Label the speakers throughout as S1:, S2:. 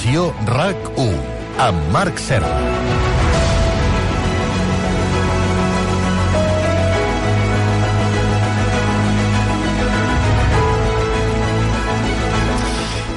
S1: Edició RAC1, amb Marc Serra.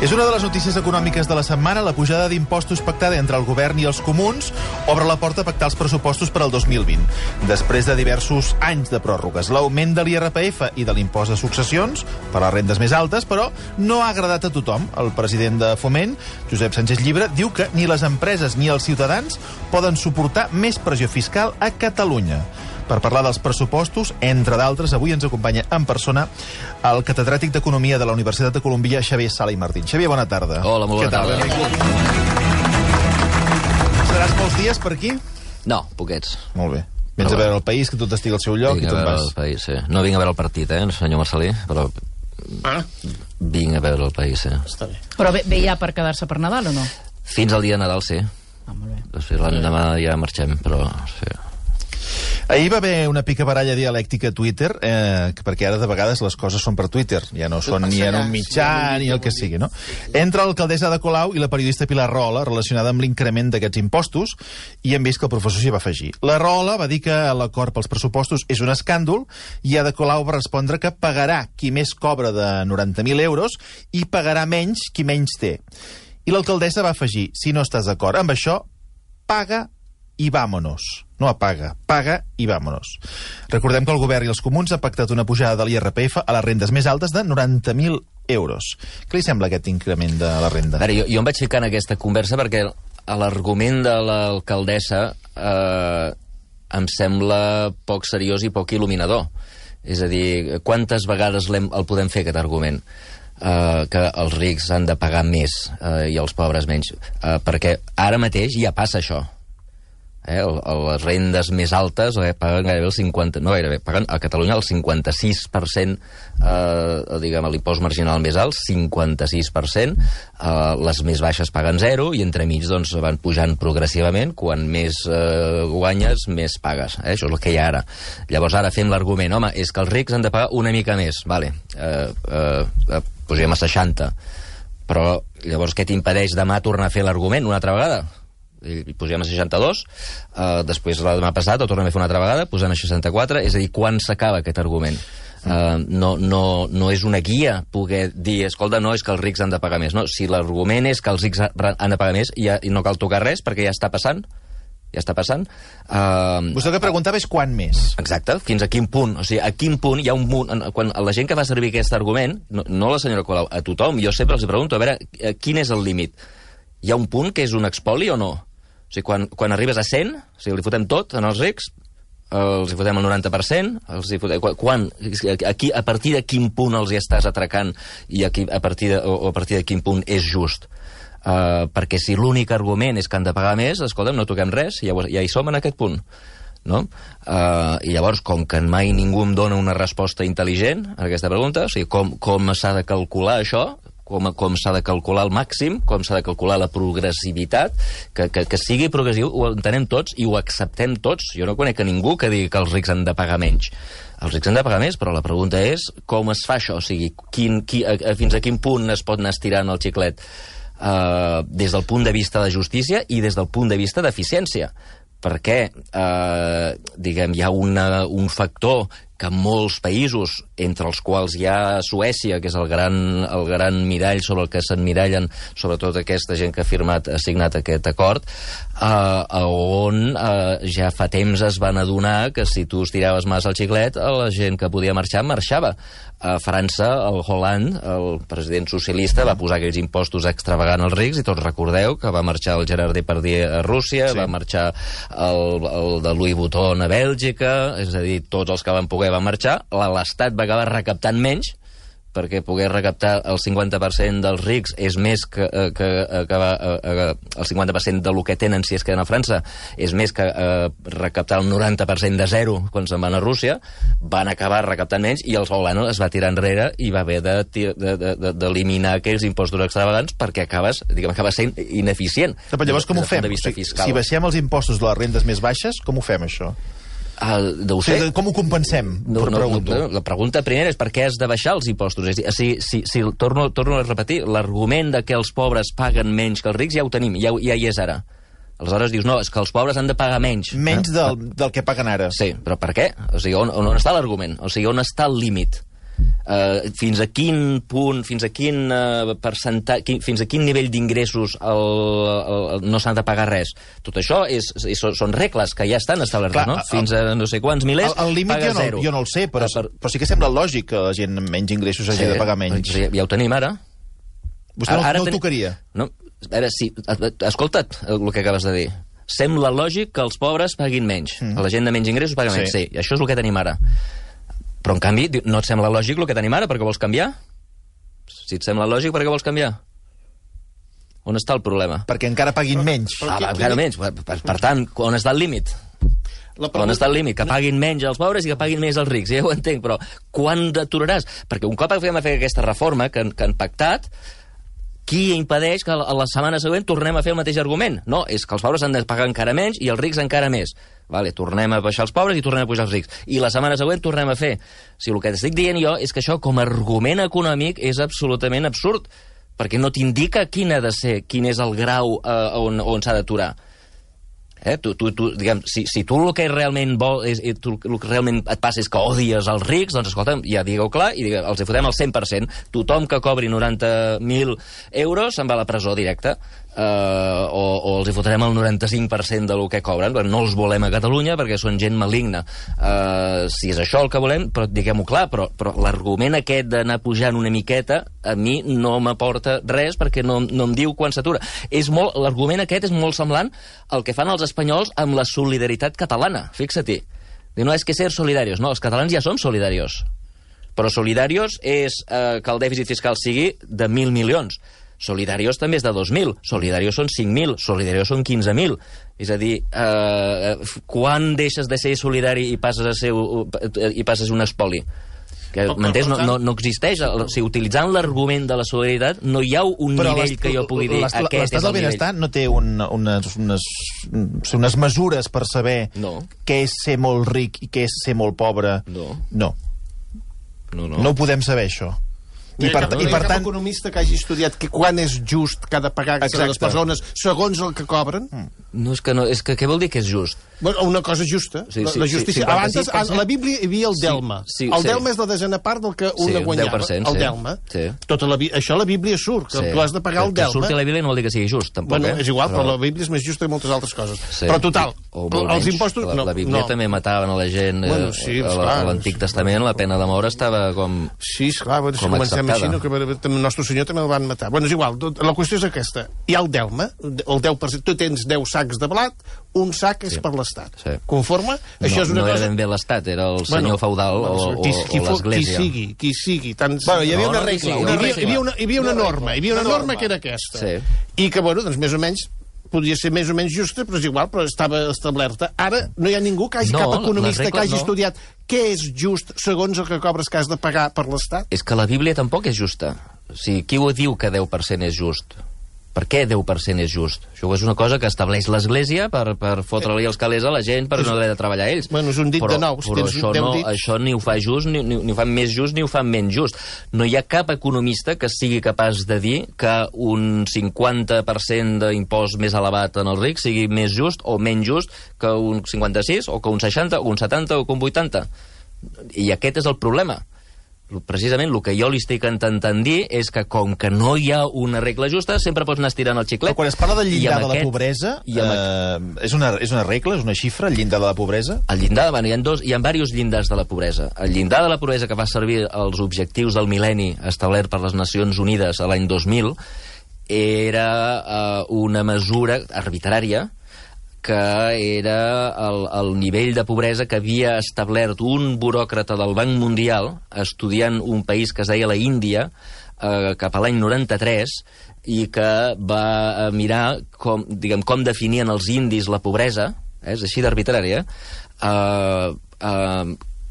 S2: És una de les notícies econòmiques de la setmana. La pujada d'impostos pactada entre el govern i els comuns obre la porta a pactar els pressupostos per al 2020. Després de diversos anys de pròrrogues, l'augment de l'IRPF i de l'impost de successions per a les rendes més altes, però no ha agradat a tothom. El president de Foment, Josep Sánchez Llibre, diu que ni les empreses ni els ciutadans poden suportar més pressió fiscal a Catalunya. Per parlar dels pressupostos, entre d'altres, avui ens acompanya en persona el catedràtic d'Economia de la Universitat de Colòmbia, Xavier Sala i Martín. Xavier, bona tarda.
S3: Hola, molt bona tarda.
S2: Seràs molts dies per aquí?
S3: No, poquets.
S2: Molt bé. Vens a veure el país, que tot estigui al seu lloc i
S3: Vinc a
S2: te'n
S3: veure
S2: vas.
S3: el país, sí. No vinc a veure el partit, senyor Marcelí, però vinc a veure el país, sí.
S4: Està bé.
S5: Però ve ja per quedar-se per Nadal o no?
S3: Fins al dia de Nadal, sí.
S5: Ah, molt bé.
S3: Després l'endemà ja marxem, però sí.
S2: Ahir va haver una picabaralla dialèctica a Twitter, perquè ara de vegades les coses són per Twitter, ja no són ni en un mitjà ni el que sigui, no? Entre l'alcaldessa de Colau i la periodista Pilar Rahola, relacionada amb l'increment d'aquests impostos, i hem vist que el professor s'hi va afegir. La Rahola va dir que l'acord pels pressupostos és un escàndol, i Ada Colau va respondre que pagarà qui més cobra de 90.000 euros i pagarà menys qui menys té. I l'alcaldessa va afegir: si no estàs d'acord amb això, paga i vámonos. No apaga, paga i vámonos. Recordem que el govern i els comuns han pactat una pujada de l'IRPF a les rendes més altes de 90.000 euros. Què li sembla aquest increment de la renda?
S3: A veure, jo em vaig ficar en aquesta conversa perquè l'argument de l'alcaldessa em sembla poc seriós i poc il·luminador. És a dir, quantes vegades el podem fer, aquest argument? Que els rics han de pagar més i els pobres menys. Perquè ara mateix ja passa això. Les rendes més altes paguen gairebé el 50%, no gairebé, paguen a Catalunya el 56%, diguem, l'impost marginal més alt, 56%, les més baixes paguen 0, i entremig doncs van pujant progressivament, quan més guanyes, més pagues. Això és el que hi ha ara. Llavors ara fem l'argument, home, és que els rics han de pagar una mica més, vale, pugem a 60, però llavors què t'impedeix demà tornar a fer l'argument una altra vegada? I posem a 62, després la demà passat ho tornem a fer una altra vegada, posem a 64, és a dir, quan s'acaba aquest argument? No és una guia poder dir, escolta, no, és que els rics han de pagar més. No, si l'argument és que els rics han de pagar més i no cal tocar res perquè ja està passant,
S2: Vostè el que preguntava és quan més.
S3: Exacte, fins a quin punt. O sigui, a quin punt hi ha un punt... Quan la gent que fa servir aquest argument, no la senyora Colau, a tothom, jo sempre els pregunto, a veure, quin és el límit? Hi ha un punt que és un expoli o no? O sigui, quan arribes a 100, o sigui, li fotem tot en els rics, els hi fotem el 90%, a partir de quin punt els hi estàs atracant i a partir de quin punt és just? Perquè si l'únic argument és que han de pagar més, escolta'm, no toquem res, ja hi som en aquest punt. No? I llavors, com que mai ningú em dona una resposta intel·ligent a aquesta pregunta, o sigui, com s'ha de calcular això, com s'ha de calcular el màxim, com s'ha de calcular la progressivitat, que sigui progressiu, ho entenem tots i ho acceptem tots. Jo no conec a ningú que digui que els rics han de pagar menys. Els rics han de pagar més, però la pregunta és com es fa això? O sigui, fins a quin punt es pot anar estirant el xiclet des del punt de vista de justícia i des del punt de vista d'eficiència? Perquè, diguem, hi ha un factor que molts països, entre els quals hi ha Suècia, que és el gran mirall sobre el que s'emmirallen sobretot aquesta gent que ha signat aquest acord, on ja fa temps es van adonar que si tu estiraves massa el xiclet, la gent que podia marxar, marxava. A França, el Hollande, el president socialista, va posar aquells impostos extravagants als rics, i tots recordeu que va marxar el Gerard Depardieu a Rússia, sí. Va marxar el de Louis Vuitton a Bèlgica, és a dir, tots els que van poder van marxar, l'Estat va acabar recaptant menys, perquè poder recaptar el 50% dels rics és més que el 50% del que tenen si es queden a França, és més que recaptar el 90% de zero quan se'n van a Rússia. Van acabar recaptant menys i el Solano es va tirar enrere i va haver d'eliminar aquells impostos extravagants perquè acaba sent ineficient.
S2: Però llavors com ho fem? Si baixem els impostos de les rendes més baixes, com ho fem, això?
S3: Deu ser.
S2: Com ho compensem?
S3: La pregunta primera és per què has de baixar els impostos. És a dir, si torno a repetir, l'argument de que els pobres paguen menys que els rics ja ho tenim, ja hi és ara. Aleshores dius, no, és que els pobres han de pagar menys.
S2: Menys del que paguen ara.
S3: Sí, però per què? O sigui, on està l'argument? O sigui, on està el límit? Fins a quin punt, fins a quin percentatge, fins a quin nivell d'ingressos no s'ha de pagar res? Tot això són regles que ja estan establertes, no? Fins a no sé quants milers, paga zero.
S2: Jo no el sé, però sí que sembla lògic que la gent amb menys ingressos hagi de pagar menys.
S3: Ja ho tenim ara.
S2: Vostè no ho tocaria?
S3: No, a veure, sí, escolta't el que acabes de dir. Sembla lògic que els pobres paguin menys. La gent de menys ingressos paga menys. Sí, això és el que tenim ara. Però, en canvi, no et sembla lògic el que tenim ara? Per què vols canviar? Si et sembla lògic, per què vols canviar? On està el problema?
S2: Perquè encara paguin menys.
S3: Encara menys. Per tant, on està el límit? On està el límit? Que paguin menys els pobres i que paguin més els rics. Ja ho entenc, però quan aturaràs? Perquè un cop vam fer aquesta reforma que han pactat, qui impedeix que a la setmana següent tornem a fer el mateix argument? No, és que els pobres han de pagar encara menys i els rics encara més. Vale, tornem a baixar els pobres i tornem a pujar els rics. I la setmana següent tornem a fer. O sigui, el que t'estic dient jo és que això, com a argument econòmic, és absolutament absurd, perquè no t'indica quin ha de ser, quin és el grau on s'ha d'aturar. Diguem, si tu el que realment el que realment et passa és que odies els rics, doncs escolta'm, ja digueu clar i els hi fotem el 100%. Tothom que cobri 90.000 euros se'n va a la presó directa. O els hi fotrem el 95% del que cobren, perquè no els volem a Catalunya perquè són gent maligna. Si és això el que volem, però diguem-ho clar, però l'argument aquest d'anar pujant una miqueta a mi no m'aporta res perquè no em diu quan s'atura. L'argument aquest és molt semblant al que fan els espanyols amb la solidaritat catalana. Fixa-t'hi. No és que ser solidarios. No, els catalans ja som solidarios. Però solidarios és que el dèficit fiscal sigui de 1.000 milions. Solidarios també és de 2.000, solidarios són 5.000, solidarios són 15.000. És a dir, quan deixes de ser solidari i passes a ser un espoli? M'entens? No existeix. O sigui, utilitzant l'argument de la solidaritat no hi ha un nivell que jo pugui dir aquest és el nivell.
S2: L'estat del benestar no té unes mesures per saber què és ser molt ric i què és ser molt pobre? No ho podem saber, això.
S4: I per tant, economista que hagi estudiat que quan és just que ha de pagar les persones segons el que cobren?
S3: És que què vol dir que és just?
S4: Una cosa justa. La justícia. Abans, a la Bíblia hi havia el delma. El delma és la desena part del que una guanyava. El delma. Això a la Bíblia surt, que tu has de pagar el delma.
S3: Que surti a la Bíblia no vol dir que sigui just, tampoc.
S4: És igual, però la Bíblia és més justa que moltes altres coses. Però total, els impostos...
S3: La Bíblia també mataven a la gent. A l'Antic Testament la pena de mort estava com...
S4: Sí, esclar, si comencem així, que el nostre senyor també el van matar. És igual, la qüestió és aquesta. Hi ha el delma, el 10%. Tu tens 10 sacs de blat, un sac és per l'Estat. Conforme? Això és una cosa...
S3: No era ben bé l'Estat, era el senyor feudal o l'Església.
S4: Qui sigui. Hi havia una regla, hi havia una norma que era aquesta. I que, doncs, més o menys, podria ser més o menys justa, però és igual, però estava establerta. Ara no hi ha ningú que hagi cap economista que hagi estudiat què és just segons el que cobres que has de pagar per l'Estat.
S3: És que la Bíblia tampoc és justa. O sigui, qui ho diu que 10% és just? Per què 10% és just? Això és una cosa que estableix l'Església per fotre-li els calés a la gent per no haver de treballar ells.
S4: És un dit de nou.
S3: Però això ni ho fa just, ni ho fa més just, ni ho fa menys just. No hi ha cap economista que sigui capaç de dir que un 50% d'impost més elevat en els rics sigui més just o menys just que un 56, o que un 60, o un 70, o que un 80. I aquest és el problema. Precisament el que jo li estic intentant dir és que com que no hi ha una regla justa, sempre pots anar estirant el xiclet.
S2: Però quan es parla del llindar de la pobresa, és una regla, és una xifra, el llindar de la pobresa?
S3: El llindar, hi ha diversos llindars de la pobresa. El llindar de la pobresa que va servir als objectius del mil·lenni establert per les Nacions Unides a l'any 2000 era una mesura arbitrària que era el nivell de pobresa que havia establert un buròcrata del Banc Mundial estudiant un país que es deia la Índia cap a l'any 93 i que va mirar com definien els indis la pobresa, és així d'arbitrària,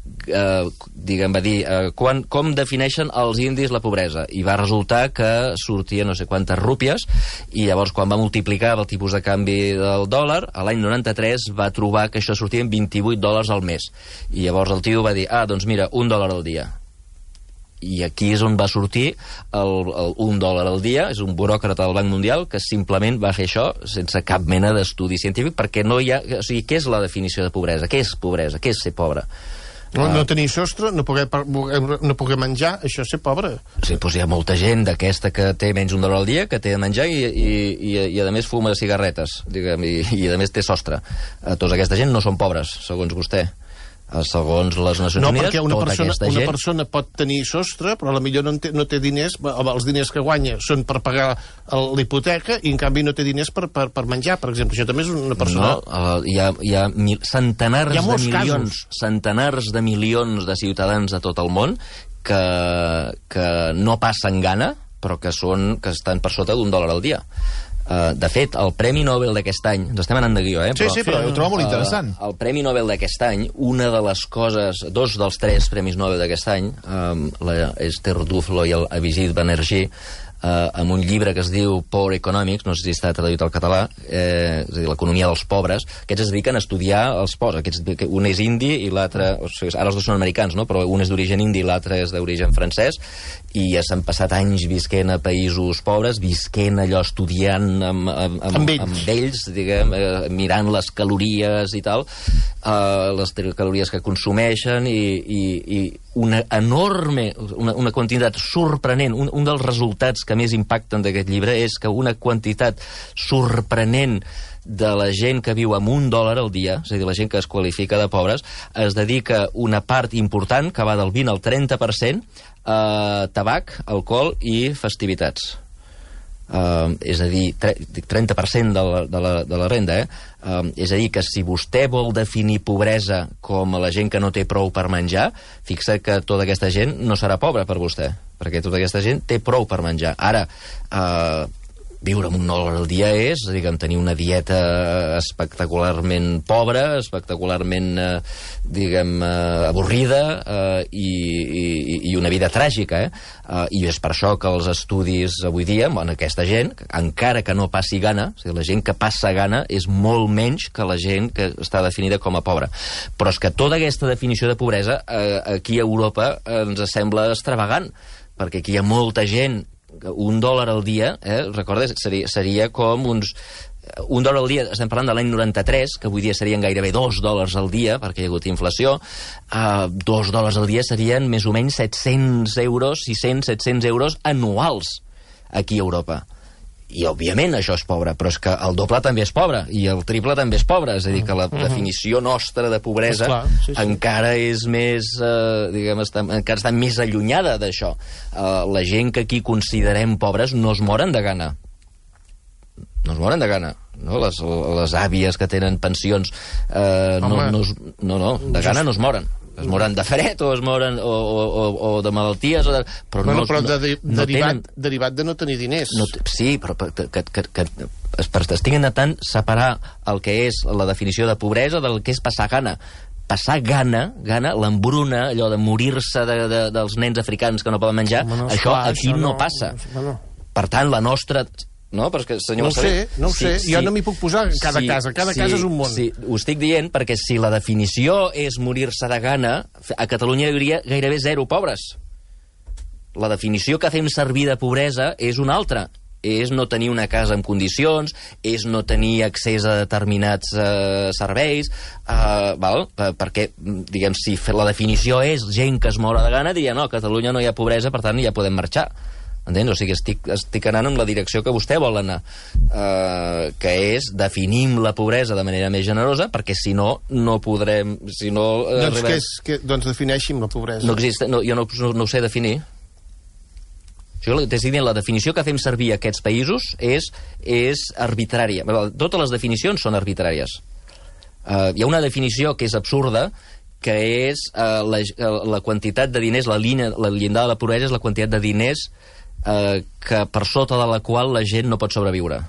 S3: va dir com defineixen els indis la pobresa, i va resultar que sortia no sé quantes rúpies, i llavors quan va multiplicar el tipus de canvi del dòlar, a l'any 93 va trobar que això sortia en $28 al mes, i llavors el tio va dir, doncs mira, $1 al dia. I aquí és on va sortir el $1 al dia. És un buròcrata del Banc Mundial que simplement va fer això sense cap mena d'estudi científic, perquè no hi ha... O sigui, què és la definició de pobresa? Què és pobresa? Què és ser pobre?
S4: No tenir sostre, no poder menjar, això és ser pobre.
S3: Sí, doncs hi ha molta gent d'aquesta que té menys $1 al dia, que té de menjar i a més fuma cigarretes, diguem, i a més té sostre. Tota aquesta gent no són pobres, segons vostè. Segons les Nacions Unides, tota aquesta gent...
S4: Una persona pot tenir sostre, però potser no té diners, els diners que guanya són per pagar l'hipoteca, i en canvi no té diners per menjar, per exemple. Això també és una persona...
S3: No, hi ha centenars de milions de ciutadans de tot el món que no passen gana, però que estan per sota $1 al dia. De fet, el Premi Nobel d'aquest any... Ens estem anant de guió,
S2: Sí, però ho trobo molt interessant.
S3: El Premi Nobel d'aquest any, una de les coses... 2 dels 3 Premis Nobel d'aquest any, l'Esther Duflo i el Abhijit Banerjee, amb un llibre que es diu Poor Economics, no sé si està traduït al català, és a dir, l'economia dels pobres, aquests es dediquen a estudiar els pobres. Un és indi i l'altre... O sigui, ara els dos són americans, no? Però un és d'origen indi i l'altre és d'origen francès, i ja s'han passat anys visquent a països pobres, visquent allò, estudiant amb ells, diguem, mirant les calories i tal, les calories que consumeixen, i una enorme, una quantitat sorprenent. Un dels resultats que més impacten d'aquest llibre és que una quantitat sorprenent de la gent que viu amb $1 al dia, és a dir, la gent que es qualifica de pobres, es dedica una part important, que va del 20 al 30%, a tabac, alcohol i festivitats. És a dir, 30% de la renda, és a dir, que si vostè vol definir pobresa com a la gent que no té prou per menjar, fixa que tota aquesta gent no serà pobra per vostè, perquè tota aquesta gent té prou per menjar. Ara, viure amb $1 al dia és, diguem, tenir una dieta espectacularment pobra, espectacularment, diguem, avorrida, i una vida tràgica, I és per això que els estudis avui dia, aquesta gent, encara que no passi gana, o sigui, la gent que passa gana és molt menys que la gent que està definida com a pobra. Però és que tota aquesta definició de pobresa aquí a Europa ens sembla extravagant, perquè aquí hi ha molta gent. $1 al dia, recordes, seria com uns... $1 al dia, estem parlant de l'any 93, que avui dia serien gairebé $2 al dia, perquè hi ha hagut inflació. $2 al dia serien més o menys 700 euros, 600-700 euros anuals aquí a Europa. I, òbviament, això és pobre, però és que el doble també és pobre, i el triple també és pobre. És a dir, que la definició nostra de pobresa encara és més, diguem, encara està més allunyada d'això. La gent que aquí considerem pobres no es moren de gana. No es moren de gana. No? Les àvies que tenen pensions de gana no es moren. Es moren de fred o es moren o de malalties, però
S4: derivat de no tenir diners.
S3: Sí, però que estiguin intentant separar el que és la definició de pobresa del que és passar gana. Passar gana, l'embruna, allò de morir-se dels nens africans que no poden menjar, això aquí no passa. Per tant, la nostra... No, perquè, senyor,
S4: no ho sé. Jo no m'hi puc posar en cada casa. Cada casa és un món.
S3: Sí, ho estic dient perquè si la definició és morir-se de gana, a Catalunya hi hauria gairebé 0 pobres. La definició que fem servir de pobresa és una altra. És no tenir una casa en condicions, és no tenir accés a determinats serveis, perquè, diguem, si la definició és gent que es mora de gana, diria, no, a Catalunya no hi ha pobresa, per tant ja podem marxar. Entens? O sigui, estic anant en la direcció que vostè vol anar, que és definim la pobresa de manera més generosa, perquè si no, no podrem...
S4: Doncs defineixin la pobresa.
S3: Jo no ho sé definir. La definició que fem servir a aquests països és arbitrària. Totes les definicions són arbitràries. Hi ha una definició que és absurda, que és la quantitat de diners, la llindar de la pobresa és la quantitat de diners que per sota de la qual la gent no pot sobreviure.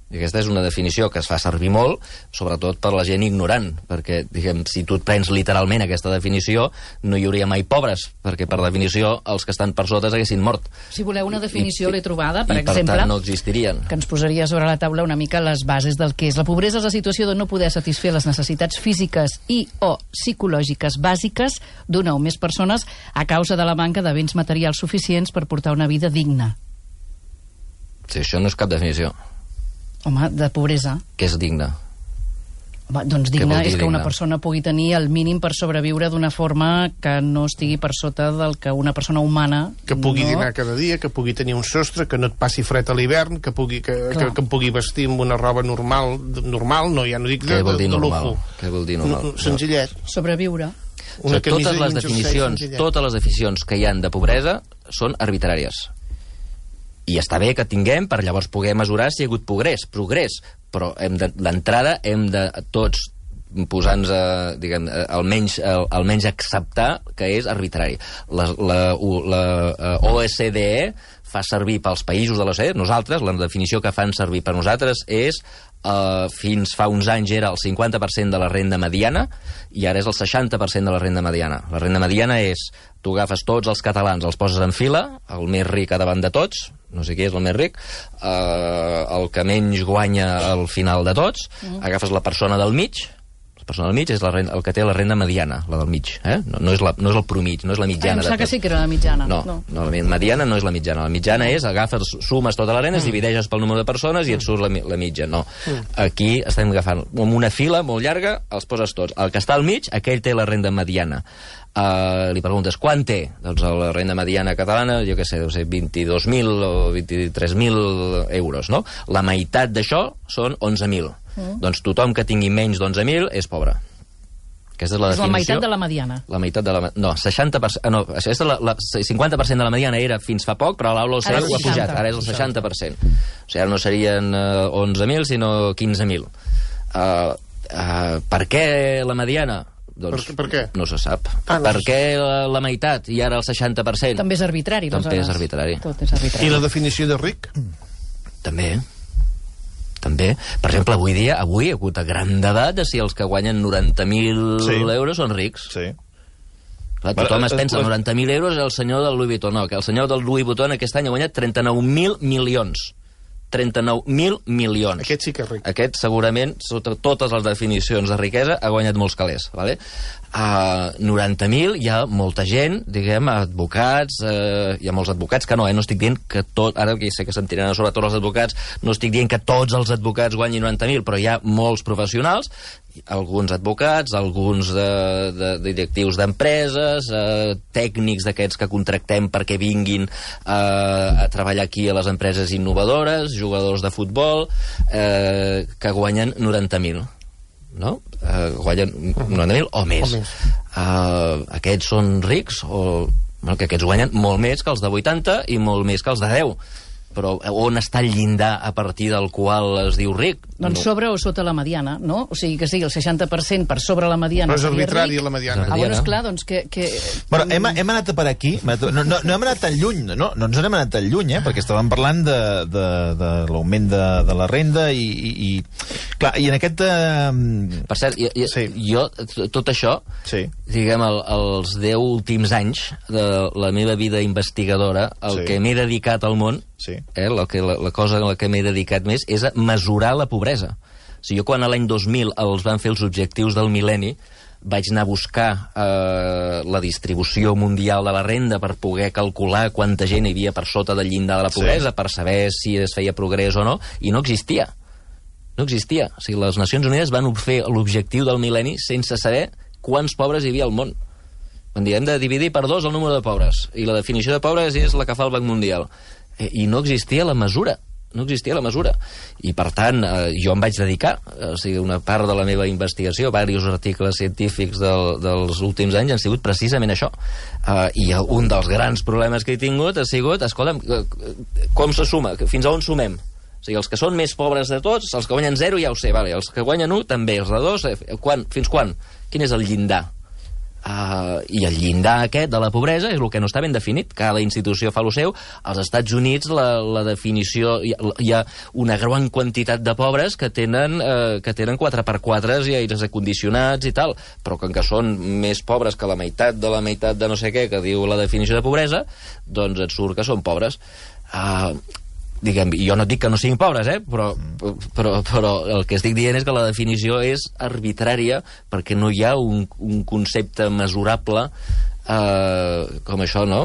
S3: I aquesta és una definició que es fa servir molt, sobretot per la gent ignorant, perquè, diguem, si tu et prens literalment aquesta definició, no hi hauria mai pobres, perquè, per definició, els que estan per sota s'haguessin mort.
S5: Si voleu una definició, l'he trobada, per exemple,
S3: per tant no existirien.
S5: Que ens posaria sobre la taula una mica les bases del que és. La pobresa és la situació de no poder satisfer les necessitats físiques i o psicològiques bàsiques d'una o més persones a causa de la manca de béns materials suficients per portar una vida digna.
S3: Sí, això no és cap definició.
S5: Home, de pobresa.
S3: Què és digne?
S5: Home, doncs digne és que una persona pugui tenir el mínim per sobreviure d'una forma que no estigui per sota del que una persona humana...
S4: Que pugui dinar cada dia, que pugui tenir un sostre, que no et passi fred a l'hivern, que em pugui vestir amb una roba normal, no, ja no dic de lujo.
S3: Què vol dir normal?
S4: Senzillet.
S5: Sobreviure.
S3: Totes les definicions que hi han de pobresa són arbitràries. I està bé que tinguem per llavors poder mesurar si hi ha hagut progrés, però d'entrada hem de tots posar-nos almenys acceptar que és arbitrari. La OSDE fa servir pels països de l'OCDE, nosaltres, la definició que fan servir per nosaltres és fins fa uns anys era el 50% de la renda mediana i ara és el 60% de la renda mediana. La renda mediana és, tu agafes tots els catalans, els poses en fila, el més ric a davant de tots, no sé qui és el més ric, el que menys guanya al final de tots, agafes la persona del mig, és el que té la renda mediana, la del mig, no és el promig, no és la mitjana.
S5: Em sembla que sí que era la mitjana.
S3: No, la mediana no és la mitjana. La mitjana és, agafes, sumes tota la renda, divideixes pel número de persones i et surt la mitja. No. Aquí estem agafant amb una fila molt llarga, els poses tots. El que està al mig, aquell té la renda mediana. Li preguntes, quant té? Doncs la renda mediana catalana, jo què sé, deu ser 22.000 o 23.000 euros, no? La meitat d'això són 11.000. Doncs tothom que tingui menys d'11.000 és pobre. Aquesta és la definició.
S5: És la meitat de la mediana.
S3: La meitat de la... No, 60%... No, això és 50% de la mediana era fins fa poc, però l'aula ho ha pujat. Ara és el 60%. O sigui, ara no serien 11.000, sinó 15.000. Per què la mediana? Doncs
S4: per què?
S3: No se sap. Per què la meitat i ara el 60%?
S5: També és arbitrari.
S3: També és arbitrari.
S5: Tot és arbitrari.
S4: I la definició de ric?
S3: També. Per exemple, avui hi ha hagut gran debat de si els que guanyen 90.000 euros són rics.
S2: Sí.
S3: Clar, tothom es pensa 90.000 euros és el senyor del Louis Vuitton. No, que el senyor del Louis Vuitton aquest any ha guanyat 39.000 milions. 39.000 milions.
S4: Aquest sí que és ric.
S3: Aquest, segurament, sota totes les definicions de riquesa, ha guanyat molts calés. Vale? 90.000, hi ha molta gent, diguem, advocats, hi ha molts advocats que no estic dient que tot, ara que sé que se'n tiren sobre tots els advocats, no estic dient que tots els advocats guanyin 90.000, però hi ha molts professionals, alguns advocats, alguns de directius d'empreses, tècnics d'aquests que contractem perquè vinguin a treballar aquí a les empreses innovadores, jugadors de futbol, que guanyen 90.000. No? Guanyen 90.000 o més. Aquests són rics que aquests guanyen molt més que els de 80 i molt més que els de 10. Però on està el llindar a partir del qual es diu ric?
S5: Doncs sobre o sota la mediana, no? O sigui que sigui el 60% per sobre la mediana.
S4: Però és arbitrari la mediana.
S5: Bueno, esclar, doncs que...
S2: Bueno, hem anat per aquí, no hem anat tan lluny, no ens n'hem anat tan lluny, perquè estàvem parlant de l'augment de la renda i clar, i en aquest...
S3: Per cert, jo, tot això, diguem, els 10 últims anys de la meva vida investigadora, el que m'he dedicat al món, la cosa a la que m'he dedicat més és a mesurar la pobresa. O sigui, jo quan a l'any 2000 els van fer els objectius del mil·lenni vaig anar a buscar la distribució mundial de la renda per poder calcular quanta gent hi havia per sota del llindar de la pobresa, per saber si es feia progrés o no, i no existia. No existia. O sigui, les Nacions Unides van fer l'objectiu del mil·lenni sense saber quants pobres hi havia al món. Hem de dividir per 2 el número de pobres, i la definició de pobres és la que fa el Banc Mundial. I no existia la mesura. I, per tant, jo em vaig dedicar, o sigui, una part de la meva investigació, diversos articles científics dels últims anys han sigut precisament això. I un dels grans problemes que he tingut ha sigut, escolta'm, com se suma? Fins a on sumem? O sigui, els que són més pobres de tots, els que guanyen 0 ja ho sé, vale. Els que guanyen 1 també, els de 2, fins quan? Quin és el llindar? I el llindar aquest de la pobresa és el que no està ben definit. Cada institució fa el seu. Als Estats Units la definició... Hi ha una gran quantitat de pobres que tenen 4x4 i aires acondicionats i tal, però com que són més pobres que la meitat de no sé què que diu la definició de pobresa, doncs et surt que són pobres. Diguem, jo no et dic que no siguin pobres, però el que estic dient és que la definició és arbitrària perquè no hi ha un concepte mesurable com això, no?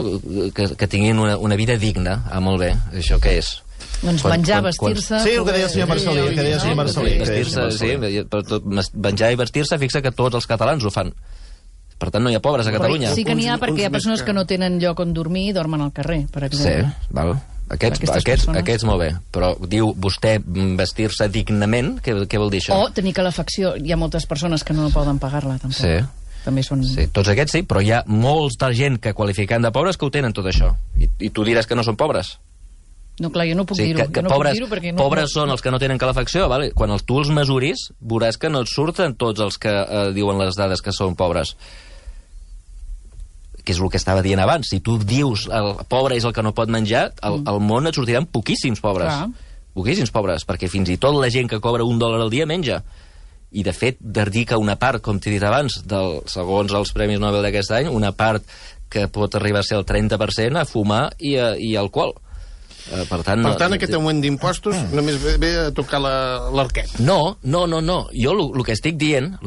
S3: Que tinguin una vida digna. Molt bé, això què és?
S5: Doncs menjar, vestir-se...
S2: Sí, el que deia el senyor Marcelí.
S3: Menjar i vestir-se, fixa que tots els catalans ho fan. Per tant, no hi ha pobres a Catalunya.
S5: Sí que n'hi ha perquè hi ha persones que no tenen lloc on dormir i dormen al carrer, per exemple.
S3: Sí, val. Aquests molt bé, però diu vostè vestir-se dignament, què vol dir això?
S5: O tenir calefacció. Hi ha moltes persones que no poden pagar-la, tampoc.
S3: Sí.
S5: També són...
S3: Sí, tots aquests sí, però hi ha molta gent que qualificant de pobres que ho tenen tot això. I tu diràs que no són pobres?
S5: No, clar, jo no puc dir-ho.
S3: Pobres són els que no tenen calefacció, vale? Quan tu els mesuris, veuràs que no et surten tots els que diuen les dades que són pobres. Que és el que estava dient abans. Si tu dius el pobre és el que no pot menjar, al món et sortiran poquíssims pobres. Poquíssims pobres, perquè fins i tot la gent que cobra $1 al dia menja. I, de fet, dedica una part, com t'he dit abans, segons els Premis Nobel d'aquest any, una part que pot arribar a ser el 30% a fumar i alcohol. Per tant,
S4: aquest augment d'impostos només ve a tocar l'arquet.
S3: No. Jo el que estic dient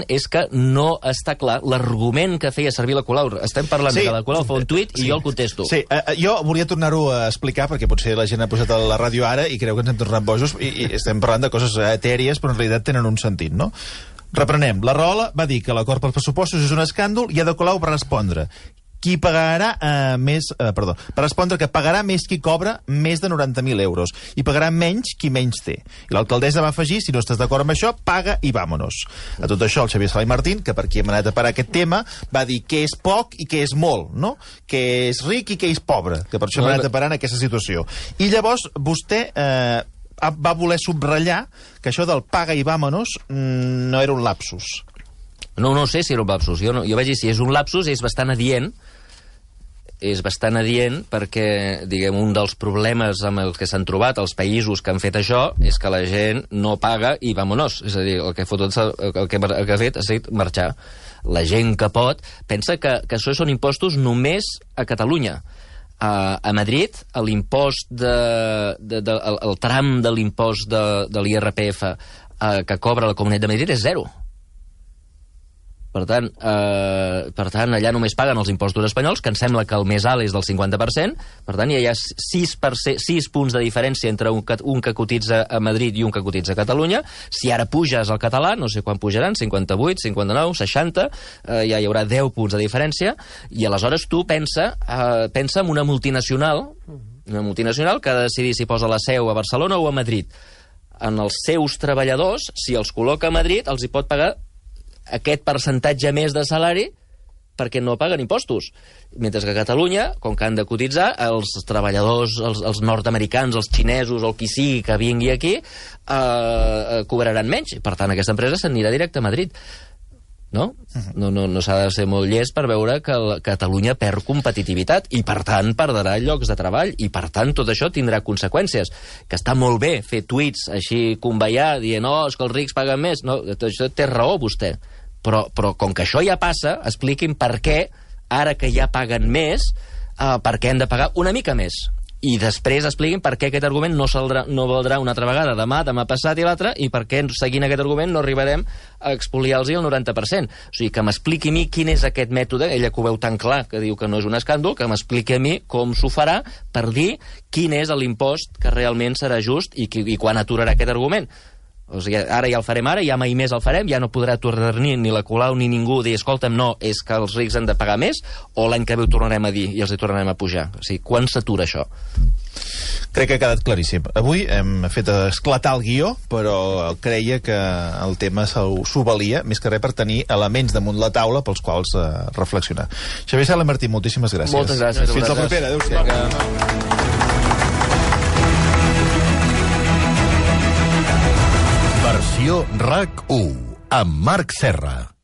S3: és que no està clar l'argument que feia servir la Colau. Estem parlant que la Colau fa un tuit i jo el contesto.
S2: Sí, jo volia tornar-ho a explicar perquè potser la gent ha posat a la ràdio ara i creu que ens hem tornat bojos i estem parlant de coses etèries però en realitat tenen un sentit, no? Reprenem. La Rahola va dir que l'acord pels pressupostos és un escàndol i Ada Colau va respondre per respondre que pagarà més qui cobra més de 90.000 euros i pagarà menys qui menys té. I l'alcaldessa va afegir, si no estàs d'acord amb això, paga i vámonos. A tot això, el Xavier Sala i Martín, que per aquí hem anat a parar aquest tema, va dir què és poc i què és molt, no? Què és ric i què és pobre, que per això hem anat a parar en aquesta situació. I llavors, vostè va voler subratllar que això del paga i vámonos no era un lapsus.
S3: No sé si era un lapsus. Jo vaig dir, si és un lapsus, és bastant adient perquè, diguem, un dels problemes amb els que s'han trobat els països que han fet això és que la gent no paga i vámonos. És a dir, el que ha fet ha sigut marxar. La gent que pot pensa que això són impostos només a Catalunya. A Madrid, l'impost el tram de l'impost de l'IRPF que cobra la Comunitat de Madrid és 0. Per tant, allà només paguen els impostos espanyols, que em sembla que el més alt és del 50%, per tant, hi ha 6 punts de diferència entre un que cotitza a Madrid i un que cotitza a Catalunya. Si ara puges al català, no sé quan pujaran, 58, 59, 60, ja hi haurà 10 punts de diferència, i aleshores tu pensa en una multinacional que ha de decidir si posa la seu a Barcelona o a Madrid. En els seus treballadors, si els col·loca a Madrid, els hi pot pagar aquest percentatge més de salari perquè no paguen impostos. Mentre que a Catalunya, com que han de cotitzar, els treballadors, els nord-americans, els xinesos o el qui sigui que vingui aquí, cobraran menys. Per tant, aquesta empresa s'anirà directe a Madrid. No s'ha de ser molt llest per veure que Catalunya perd competitivitat i, per tant, perdrà llocs de treball i, per tant, tot això tindrà conseqüències. Que està molt bé fer tuits així conveiar, dient, és que els rics paguen més. No, tot això té raó, vostè. Però com que això ja passa, expliquin per què, ara que ja paguen més, per què han de pagar una mica més. I després expliquin per què aquest argument no valdrà una altra vegada demà passat i l'altre, i per què, seguint aquest argument, no arribarem a expoliar-los el 90%. O sigui, que m'expliqui a mi quin és aquest mètode, ella que ho veu tan clar, que diu que no és un escàndol, que m'expliqui a mi com s'ho farà per dir quin és l'impost que realment serà just i quan aturarà aquest argument. O sigui, ara ja el farem ara, ja mai més el farem, ja no podrà tornar ni la Colau ni ningú dir, escolta'm, no, és que els rics han de pagar més, o l'any que ve ho tornarem a dir i els hi tornarem a pujar. O sigui, quan s'atura això?
S2: Crec que ha quedat claríssim. Avui hem fet esclatar el guió, però creia que el tema s'ho valia, més que res per tenir elements damunt la taula pels quals reflexionar. Xavier Sala i Martí, moltíssimes gràcies.
S3: Moltes gràcies.
S2: Fins la propera. Adéu-siau.
S1: Versió RAC 1 amb Marc Serra.